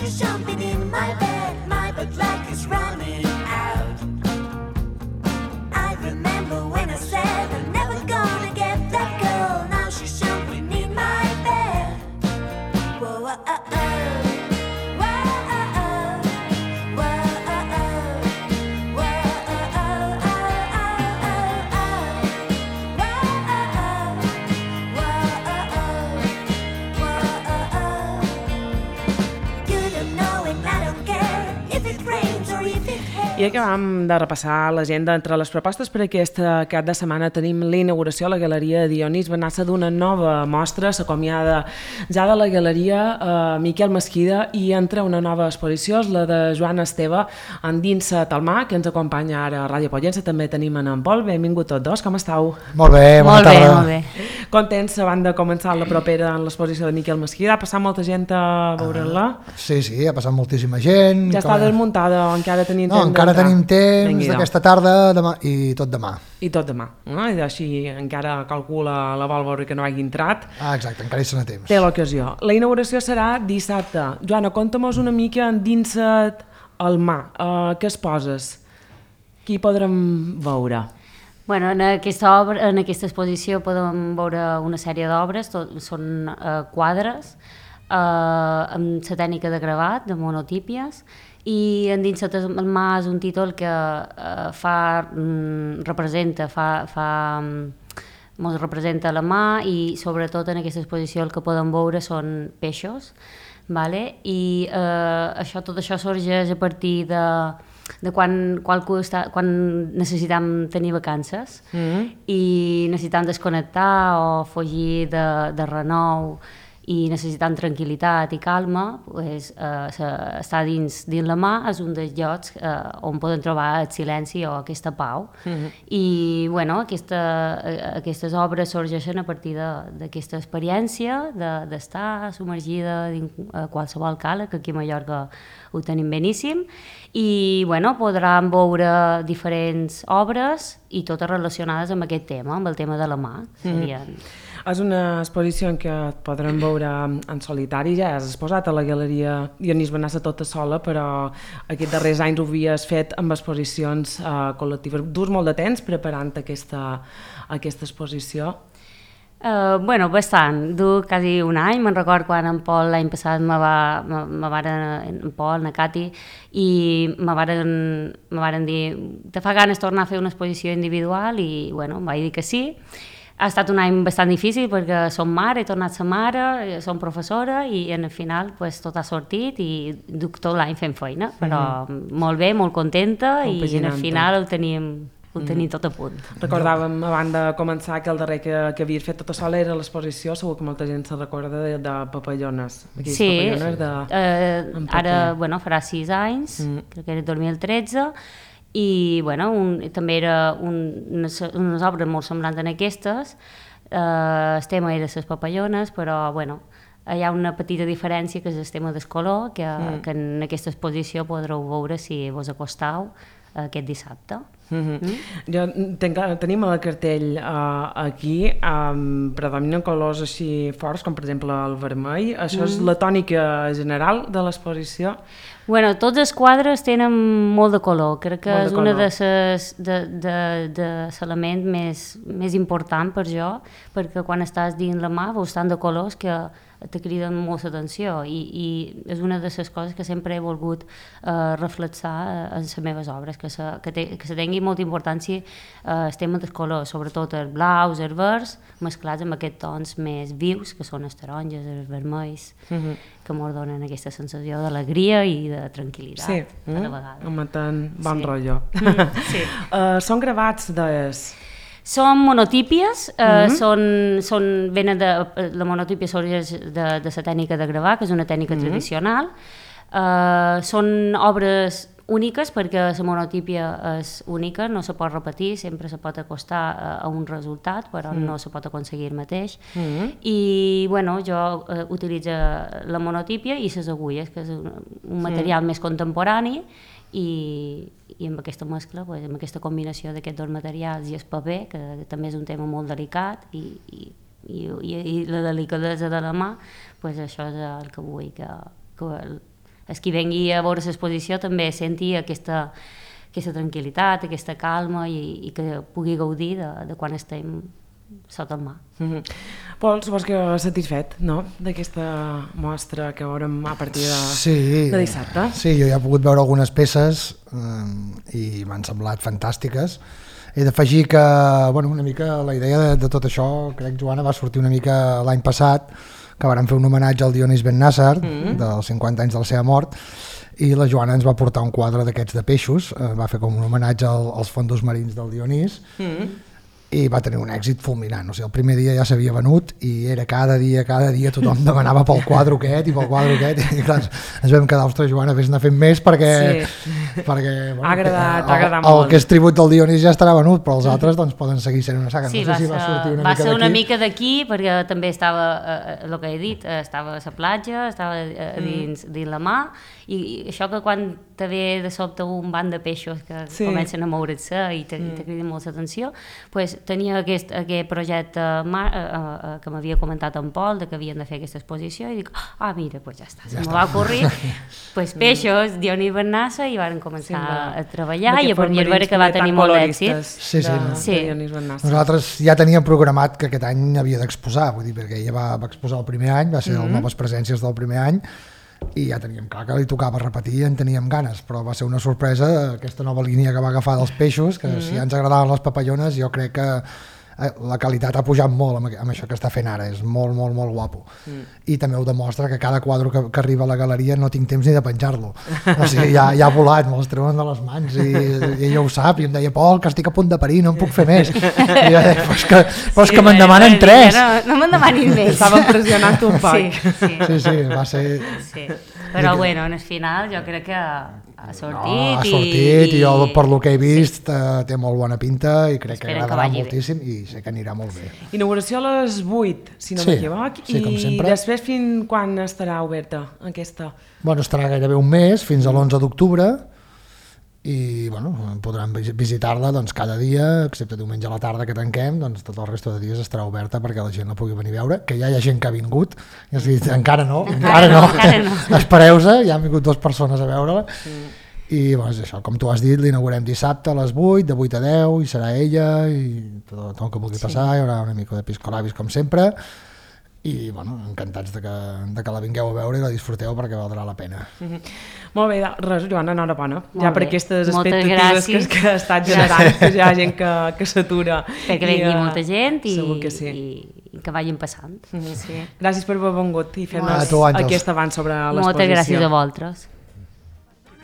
she's jumping in my bed like it's running out. I remember when I said I'm never gonna get that girl. Now she's jumping in my bed. Whoa, I acabam de repassar l'agenda. Entre les propostes per aquest cap de setmana tenim la inauguració a la Galeria Dionís Benassa d'una nova mostra. S'acomiada ja de la Galeria Miquel Mesquida i entra una nova exposició, la de Joan Esteve, Endinsa't al mar, que ens acompanya ara a Ràdio Pollença. També tenim en Pol. Benvingut tots dos, com estàu? Molt bé, bona tarda. Molt bé. Contents abans de començar la propera en l'exposició de Miquel Mesquida. Ha passat molta gent a veure-la? Sí, ha passat moltíssima gent. Ja està desmuntada o encara tenim temps? No, encara tenim temps d'aquesta tarda demà, i tot demà. I tot demà, no? I així encara calcula la Valvor que no hagi entrat. Exacte, encara hi serà temps. Té l'ocasió. La inauguració serà dissabte. Joana, conta'm-nos una mica Endinsa't al mar. Què es poses? Qui podrem veure? Bueno, en aquesta exposició podem veure una sèrie d'obres, són quadres amb la tècnica de gravat, de monotípies, i Endinsa't al mar és un títol que representa la mar, i sobretot en aquesta exposició el que podem veure són peixos, vale? I tot això sorgeix a partir de quan necessitem tenir vacances i necessitem desconnectar o fugir de renou i necessitant tranquil·litat i calma, pues, estar dins la mar és un dels llocs on poden trobar el silenci o aquesta pau. I bueno, aquestes obres sorgeixen a partir d'aquesta experiència d'estar submergida dins qualsevol cala, que aquí a Mallorca ho tenim beníssim, i bueno, podran veure diferents obres i totes relacionades amb aquest tema, amb el tema de la mar. És una exposició en què et podrem veure en solitari. Ja has exposat a la Galeria Dionís Benassa tota sola, però aquests darrers anys ho havies fet amb exposicions col·lectives. Durs molt de temps preparant aquesta exposició? Bueno, bastant. Dur quasi un any. Me'n record quan en Pol l'any passat en Pol, na Cati, i me varen dir te fa ganes tornar a fer una exposició individual, i bueno, em vaig dir que sí. Ha estat un any bastant difícil perquè som mare, he tornat a ser mare, som professora, i al final pues, tot ha sortit i duc tot l'any fent feina, però molt bé, molt contenta, i al final ho tenim tot a punt. Recordàvem abans de començar que el darrer que havies fet tota sola era l'exposició, segur que molta gent se recorda de Papallones. Sí, ara farà 6 anys, crec que era 2013, i bueno, també era unes obres molt semblants en aquestes. El tema era les papallones, però bueno, hi ha una petita diferència, que és el tema del color, que en aquesta exposició podreu veure si vos acostau aquest dissabte. Tenim el cartell aquí, predominen colors així forts, com per exemple el vermell. Això és la tònica general de l'exposició? Bueno, tots els quadres tenen molt de color. Crec que és un dels elements més important per jo, perquè quan estàs dins la mar veus tant de colors que te criden molt l'atenció, i és una de les coses que sempre he volgut reflexar en les meves obres, que se tingui molta importància el tema dels colors, sobretot els blaus, els verds, mesclats amb aquests tons més vius, que són els taronges, els vermells, que ens donen aquesta sensació d'alegria i de tranquil·litat a la vegada. Amb tant bon rotllo. Són gravats Són monotípies, venen la monotípia sorgeix de la tècnica de gravar, que és una tècnica tradicional. Són obres úniques, perquè la monotípia és única, no se pot repetir, sempre se pot acostar a un resultat, però no se pot aconseguir el mateix. I bueno, jo utilitzo la monotípia i les agulles, que és un material més contemporani, i amb aquesta mescla, amb aquesta combinació d'aquests dos materials i el paper, que també és un tema molt delicat, i la delicadesa de la mà, això és el que vull, que els qui vengui a veure l'exposició també senti aquesta tranquil·litat, aquesta calma i que pugui gaudir de quan estem sota el mar. Pol, supos que satisfet, no?, d'aquesta mostra que veurem a partir de dissabte. Sí, jo ja he pogut veure algunes peces i m'han semblat fantàstiques. He d'afegir que, una mica la idea de tot això, crec, Joana, va sortir una mica l'any passat, que vàrem fer un homenatge al Dionís Ben Nasser, dels 50 anys de la seva mort, i la Joana ens va portar un quadre d'aquests de peixos, va fer com un homenatge als fondos marins del Dionís, i va tenir un èxit fulminant. O sigui, el primer dia ja s'havia venut i era cada dia tothom demanava pel quadre aquest i pel quadre aquest, i clar, ens vam quedar, ostres, Joana, vés-ne fent més perquè ha agradat molt. El que és tribut del Dionís ja estarà venut, però els altres doncs poden seguir sent una saga. Sí, no sé si va sortir una va mica ser una d'aquí. mica d'aquí, perquè també estava, el que he dit, estava a la platja, estava dins la mar, i això que quan te ve de sobte un banc de peixos que comencen a moure's i te criden molt l'atenció, doncs tenia aquest projecte que m'havia comentat en Pol, que havien de fer aquesta exposició, i dic, mira, doncs ja està, se m'ho va ocorrir, doncs peixos, Dionís Ben Nasser, i van començar a treballar, i a veure que va tenir molt d'èxit. Sí. Nosaltres ja teníem programat que aquest any havia d'exposar, vull dir, perquè ella va exposar el primer any, va ser les noves presències del primer any, i ja teníem clar que li tocava repetir i en teníem ganes, però va ser una sorpresa aquesta nova línia que va agafar dels peixos, que si ja ens agradaven les papallones, jo crec que la qualitat ha pujat molt amb això que està fent ara, és molt, molt, molt guapo. I també ho demostra que cada quadre que arriba a la galeria no tinc temps ni de penjar-lo. O sigui, ja ha volat, me'ls treuen de les mans i ella ho sap, i em deia, Pol, que estic a punt de parir, no en puc fer més. I jo deia, però és que me'n demanen 3. No me'n demanin més. Estava pressionant un poc. Sí, va ser... Però bueno, en el final jo crec que ha sortit. Ha sortit i jo per lo que he vist té molt bona pinta i crec que agradarà moltíssim i sé que anirà molt bé. Inauguració a les 8, si no m'equivoc, i després fins quan estarà oberta aquesta? Estarà gairebé un mes, fins a l'11 d'octubre, i podran visitar-la cada dia, excepte diumenge a la tarda que tanquem, tot el resta de dies estarà oberta perquè la gent la pugui venir a veure, que ja hi ha gent que ha vingut, i has dit, encara no, espereu-se, ja han vingut 2 persones a veure-la, i és això, com tu has dit, l'inaugurem dissabte a les 8, de 8 a 10, i serà ella, i tot el que vulgui passar, hi haurà una mica de piscolabis com sempre, i encantats de que la vingueu a veure i la disfruteu perquè valdrà la pena. Molt bé, res, Joana, enhorabona ja per aquestes expectatives que ha estat generant, que hi ha gent que s'atura. Que vengui molta gent i que vagin passant. Gràcies per haver vengut i fer-nos aquest avanç sobre l'exposició. Moltes gràcies a vosaltres.